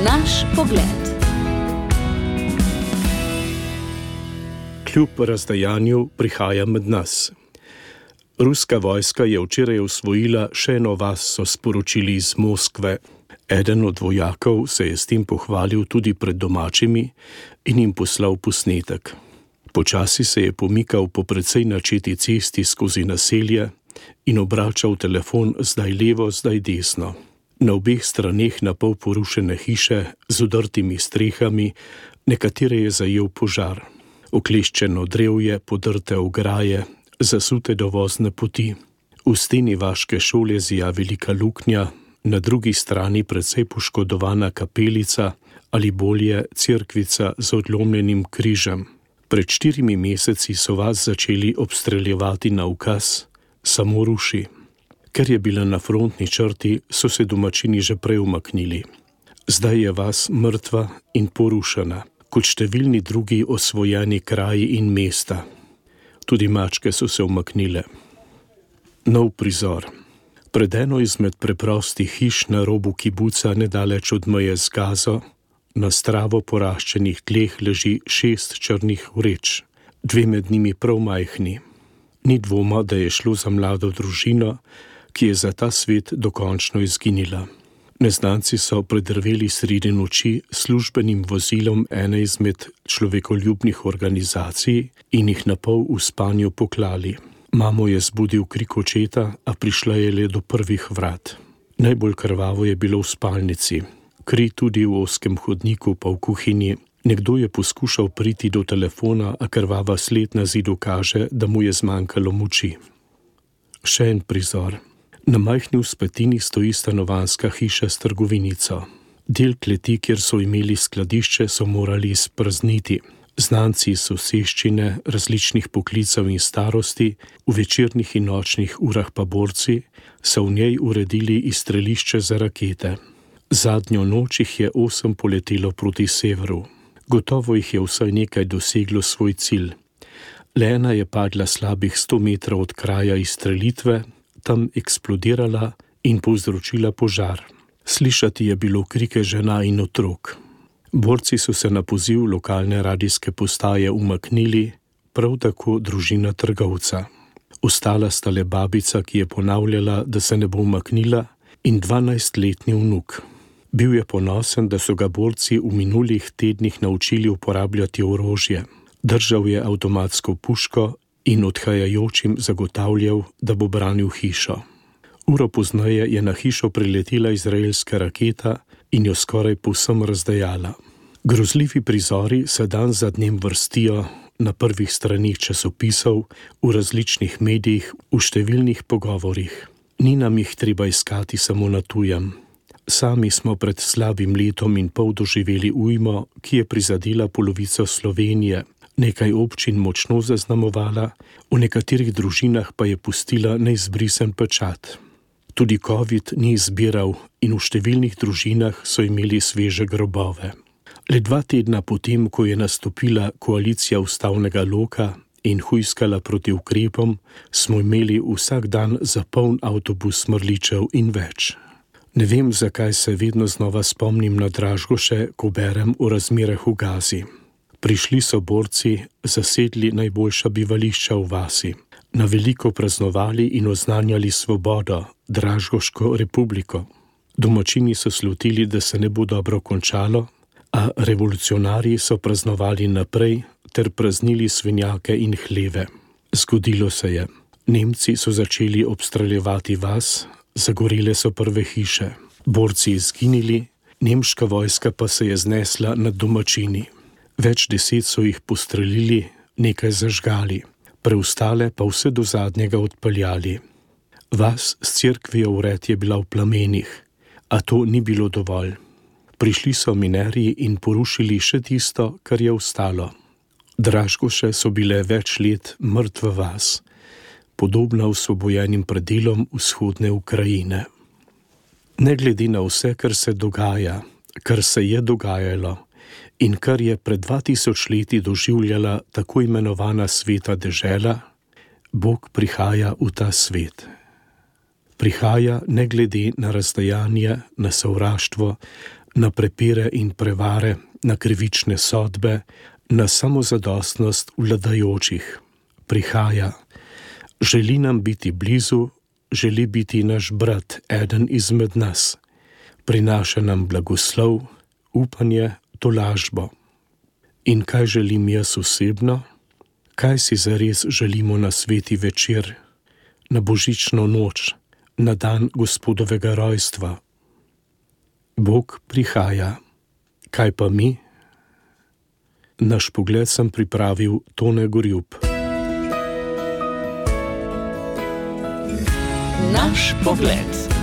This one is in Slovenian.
Naš pogled. Kljub razdajanju prihaja med nas. Ruska vojska je včeraj osvojila še eno vas, so sporočili iz Moskve. Eden od vojakov se je s tem pohvalil tudi pred domačimi in jim poslal posnetek. Počasi se je pomikal po precej načeti cesti skozi naselje in obračal telefon zdaj levo, zdaj desno. Na obeh straneh na pol porušene hiše z udrtimi strehami, nekatere je zajel požar. Okleščeno drevje, podrte ograje, zasute dovozne poti. V steni vaške šole zija velika luknja, na drugi strani precej poškodovana kapelica ali bolje cerkvica z odlomljenim križem. Pred 4 meseci so vas začeli obstreljevati na ukaz, samo ruši. Ker je bila na frontni črti, so se domačini že prej umaknili. Zdaj je vas mrtva in porušena, kot številni drugi osvojeni kraji in mesta. Tudi mačke so se umaknile. Nov prizor. Pred eno izmed preprostih hiš na robu kibuca nedaleč od meje z Gazo, na stravo poraščenih tleh leži 6 črnih vreč, 2 med njimi prav majhni. Ni dvoma, da je šlo za mlado družino, ki je za ta svet dokončno izginila. Neznanci so predrveli sredi noči službenim vozilom ene izmed človekoljubnih organizacij in jih napol v spanju poklali. Mamo je zbudil krik očeta, a prišla je le do prvih vrat. Najbolj krvavo je bilo v spalnici. Kri tudi v ozkem hodniku pa v kuhinji. Nekdo je poskušal priti do telefona, a krvava sled na zidu kaže, da mu je zmanjkalo moči. Še en prizor. Na majhni vzpetini stoji stanovanjska hiša s trgovinico. Del kleti, kjer so imeli skladišče, so morali izprazniti. Znanci iz soseščine, različnih poklicev in starosti, v večernih in nočnih urah pa borci, so v njej uredili izstrelišče za rakete. Zadnjo noč jih je 8 poletelo proti severu. Gotovo jih je vsaj nekaj doseglo svoj cilj. Le ena je padla slabih 100 metrov od kraja izstrelitve, tam eksplodirala in povzročila požar. Slišati je bilo krike žena in otrok. Borci so se na poziv lokalne radijske postaje umaknili, prav tako družina trgovca. Ostala sta le babica, ki je ponavljala, da se ne bo umaknila, in 12-letni vnuk. Bil je ponosen, da so ga borci v minulih tednih naučili uporabljati orožje. Držal je avtomatsko puško in odhajajočim zagotavljal, da bo branil hišo. Uro pozneje je na hišo priletela izraelska raketa in jo skoraj povsem razdejala. Grozljivi prizori se dan za dnem vrstijo na prvih stranih časopisov, v različnih medijih, v številnih pogovorih. Ni nam jih treba iskati samo na tujem. Sami smo pred slabim letom in pol doživeli ujmo, ki je prizadela polovico Slovenije, nekaj občin močno zaznamovala, v nekaterih družinah pa je pustila neizbrisen pečat. Tudi COVID ni izbiral in v številnih družinah so imeli sveže grobove. Le 2 tedna potem, ko je nastopila koalicija ustavnega loka in hujskala proti ukrepom, smo imeli vsak dan zapoln avtobus mrličev in več. Ne vem, zakaj se vedno znova spomnim na Dražgoše, ko berem o razmerah v Gazi. Prišli so borci, zasedli najboljša bivališča v vasi, na veliko praznovali in oznanjali svobodo, Dražgoško republiko. Domačini so slutili, da se ne bo dobro končalo, a revolucionarji so praznovali naprej ter praznili svinjake in hleve. Zgodilo se je. Nemci so začeli obstreljevati vas, zagorele so prve hiše. Borci izginili, nemška vojska pa se je znesla nad domačini. Več 10 so jih postrelili, nekaj zažgali, preostale pa vse do zadnjega odpeljali. Vas s cerkvijo vred je bila v plamenih, a to ni bilo dovolj. Prišli so minerji in porušili še tisto, kar je ostalo. Dražgoše so bile več let mrtva vas, podobna osvobojenim predelom vzhodne Ukrajine. Ne glede na vse, kar se dogaja, kar se je dogajalo in kar je pred 2000 leti doživljala tako imenovana sveta dežela, Bog prihaja v ta svet. Prihaja ne glede na razdajanje, na sovraštvo, na prepire in prevare, na krivične sodbe, na samozadostnost vladajočih. Prihaja, želi nam biti blizu, želi biti naš brat, eden izmed nas. Prinaša nam blagoslov, upanje, tolažbo. In kaj želim jaz osebno? Kaj si zares želimo na sveti večer, na božično noč, na dan Gospodovega rojstva? Bog prihaja. Kaj pa mi? Naš pogled sem pripravil Tone Gorjup. Naš pogled.